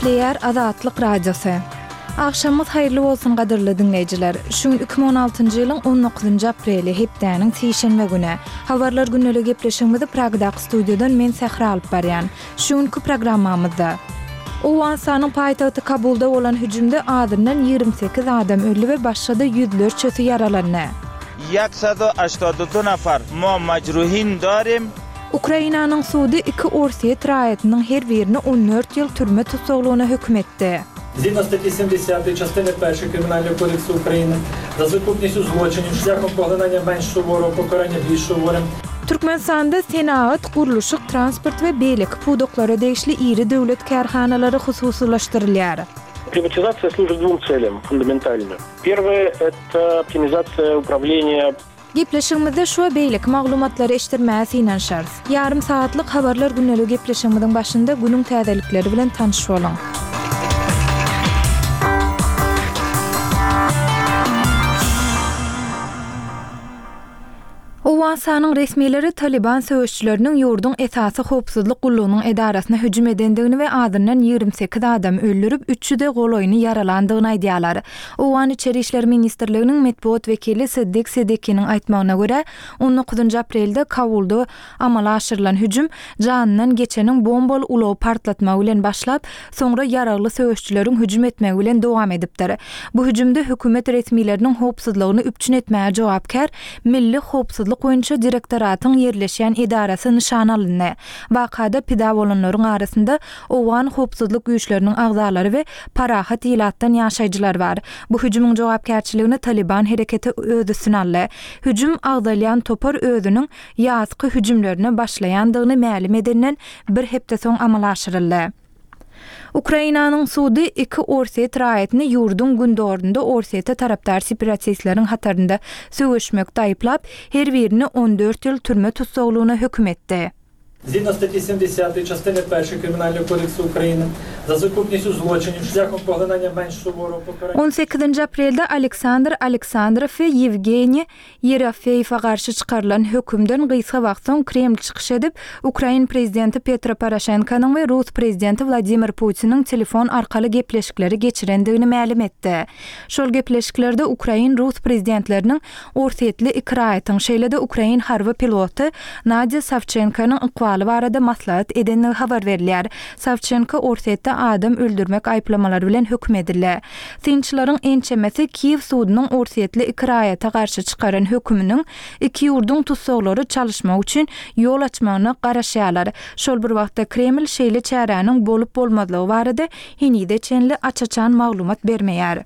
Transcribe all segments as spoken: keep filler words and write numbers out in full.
Gepleýär Azatlyk Radiosy. Agşamyňyz haýyrly bolsun gadyrly diňleýjiler. Şu gün iki müň on altynjy ýylyň on dokuzynjy apreli, hepdäniň sişenbe güni. Habarlar gündelik gepleşigimizi Pragdaky studiýadan men Sähra alyp barýan. Şu günki programmamyzda Owganystanyň paýtagty Kabulda bolan hüjümde azyndan ýigrimi sekiz adam öldi we başga-da ýüzlerçesi ýaralandy. Ýek sed û heştad û du nefer ma mecruhîn darim. Ukrainanyň sudy iki orsýet raýatynyň her birini on dört ýyl türme tussaglygyna höküm etdi. Згідно статті сімдесятої частини першої Кримінального кодексу України за сукупністю злочинів шляхом поглинання менш суворого покарання більш суворим. Türkmenistanda senagat, gurluşyk, transport we beýleki pudaklara degişli iri döwlet kärhanalary hususylaşdyrylýar. Приватизация служит двум целям фундаментально. Первое – это оптимизация управления. Gepleşigimizde şu beýleki maglumatlary eşitdirmäge synanyşarys. Ýarym saatlyk habarlar gündelik gepleşigimiziň başynda günüň täzelikleri bilen tanyş boluň. Owganystanyň resmileri Taliban söweşçileriniň ýurduň esasy howpsuzlyk gullugynyň edarasyna hüjüm edendigini we azyndan ýigrimi sekiz adam öldürip, üç ýüze golaýyny ýaralandygyny aýdýarlar. Owgan İçeri İşler Ministrliginiň metbugat wekili Siddik Siddiqiniň aýtmagyna görä, on dokuzynjy aprelde Kabulda amala aşyrylan hüjüm janyndan geçeniň bombaly ulagy partlatmagy bilen başlap, soňra ýaragly söweşçileriň hüjüm etmegi bilen dowam edipdir. Bu hüjümde hökümet resmileriniň howpsuzlygyny üpjün etmäge jogapkär Milli howpsuzlyk boýunça direktoratyň ýerleşýän edarasy nyşan alyndy. Wakada pida bolanlaryň arasynda Owgan howpsuzlyk güýçleriniň agzalary we parahat ilatdan ýaşaýjylar bar. Bu hüjümiň jogapkärçiligini Taliban hereketi öz üstüne aldy. Hüjüm agzalýan topar özüniň ýazky hüjümlerine başlaýandygyny mälim edenden bir hepde soň amala aşyryldy. Ukrainanyň sudy iki Orsýet raýatyny ýurduň gündorunda Orsýete tarapdar separatistleriň hatarynda söweşmekde aýyplap, her birini on dört ýyl türme tussaglygyna höküm etdi. Згідно статті сімдесятої частини першої Кримінального кодексу України за сукупністю злочинів шляхом поглинання менш суворого покарання. On sekizinji aprelde Aleksandr Aleksandrow we Ýewgeniý Ýerofeýewe garşy çykarylan hökümden gysga wagt soň Kreml çykyş edip, Ukrain prezidenti Petro Poroşenkonyň we Rus prezidenti Wladimir Putiniň telefon arkaly gepleşikleri geçirendigini mälim etdi. Şol gepleşiklerde Ukrain-Rus prezidentleriniň Orsýetli iki raýatyň, şeýle-de Ukrain harby piloty Nadya Savçenkonyň ykbaly barada maslahat edenligi habar berilýär. Savçenko Orsýetde adam öldürmek aýyplamalary bilen höküm edildi. Synçylaryň ençemesi Kiýew sudunyň Orsýetli iki raýata garşy çykaran höküminiň iki ýurduň tutsaglary çalyşmak üçin ýol açmagyna garaşýarlar. Şol bir wagtda Kreml şeýle çäräniň bolup bolmazlygy barada henide çenli aç-açan maglumat bermeýär.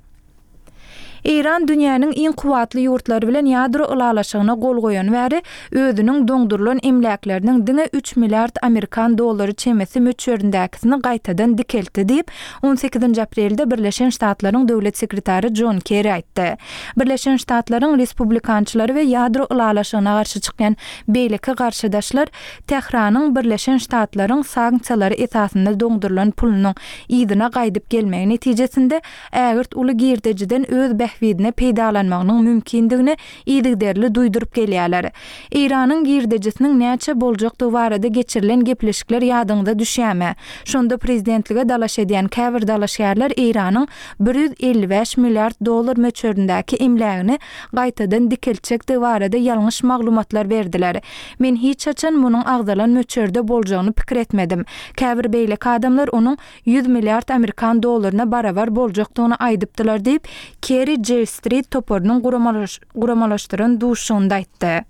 Eýran dünýäniň iň kuwwatly ýurtlary bilen ýadro ylalaşygyna gol goýan bäri özüniň doňdurylan emläkleriniň diňe üç milliard Amerikan dollary çemesi möçberindäkisini gaýtadan dikeltdi diýip, on sekizinji aprelde Birleşen Ştatlaryň döwlet sekretary John Kerry aýtdy. Birleşen Ştatlaryň respublikançylary we ýadro ylalaşygyna garşy çykýan beýleki garşydaşlar Tähranyň Birleşen Ştatlaryň sanksiýalary esasynda doňdurylan pulunyň yzyna gaýdyp gelmegi netijesinde ägirt uly girdejiden öz bähbidine peýdalanmagynyň mümkindigini yzygiderli duýduryp gelýärler. Eýranyň girdejisiniň näçe boljakdygy barada geçirilen gepleşikler ýadyňda düşýärmi? Şonda prezidentlige dalaş edýän käbir dalaşgärler Eýranyň bir ýüz elli bäş milliard dollar möçberindäki emlägini gaýtadan dikeltjekdigi barada ýalňyş maglumatlar berdiler. Men hiç haçan munuň agzalan möçberde boljagyny pikir etmedim. Käbir beýleki adamlar onuň ýüz milliard Amerikan dollaryna barabar boljakdygyny aýdypdylar diýip, Kerry J Street toparynyň guramalaş-, guramalaşdyran duşunda aýtdy.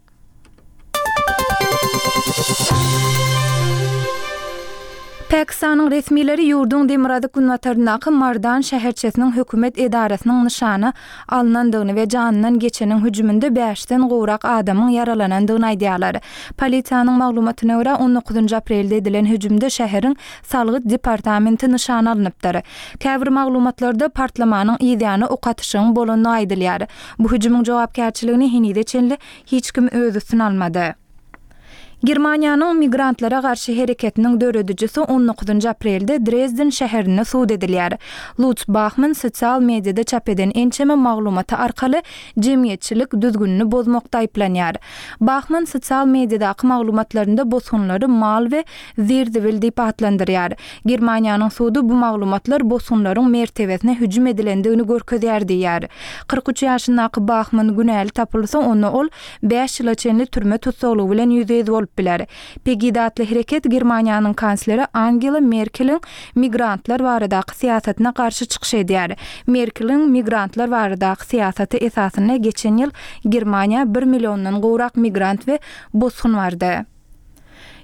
Pakistanyň resmileri ýurduň demirgazyk günbataryndaky Mardan şäherçesiniň hökümet edarasynyň nyşana alynandygyny we janyndan geçeniň hüjüminde bäşden gowrak adamyň ýaralanandygyny aýdýarlar. Polisiýanyň maglumatyna görä on dokuzynjy aprelde edilen hüjümde şäheriň salgyt departamenti nyşana alynypdyr. Käbir maglumatlarda partlamanyň ýany ok atyşygyň bolanyny aýdylýar. Bu hüjümiň jogapkärçiligini henize çenli hiç kim öz üstüne almady. Germaniýanyň migrantlara garşy hereketiniň döredijisi on dokuzynjy aprelde Drezden şäherinde sud edilýär. Lutz Bahmann sosial mediada çap eden ençeme maglumaty arkaly jemgyýetçilik düzgünini bozmakda aýyplanýar. Bahmann sosial mediadaky maglumatlarynda bosgunlary mal we zir-zibil diýip atlandyrýar. Germaniýanyň sudy bu maglumatlar bosgunlaryň mertebesine hüjüm edilendigini görkezýär diýýär. Kyrk üç ýaşyndaky Bahmann günäli tapylsa, onda ol bäş ýyla çenli türme tussaglygy bilen ýüzbe-ýüz bolup biler. Pegida atly hereket Germaniýanyň kansleri Angela Merkeliň migrantlar baradaky syýasatyna garşy çykyş edýär. Merkeliň migrantlar baradaky syýasaty esasynda geçen ýyl Germaniýa bir milliondan gowrak migrant we bosgun bardy.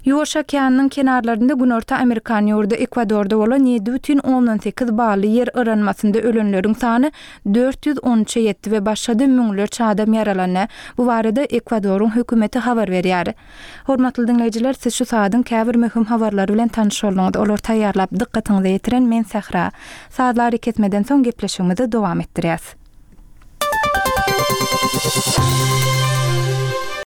Ýuwaş okeanynyň kenarlarynda Günorta Amerikan ýurdy Ekwadorda bolan ýedi bütin ondan sekiz bally ýer yranmasynda ölenleriň sany dört ýüz on üçe ýetdi we başga-da müňlerçe adam ýaralandy. Bu barada Ekwadoryň hökümeti habar berýär. Hormatly diňleýjiler, siz şu saadyň käbir möhüm habarlary bilen tanyş bolduňyz. Olar taýýarlap dykgatyňyza ýetiren men Sähra. Sazlary kesmeden soň gepleşigimizi dowam etdirýäs.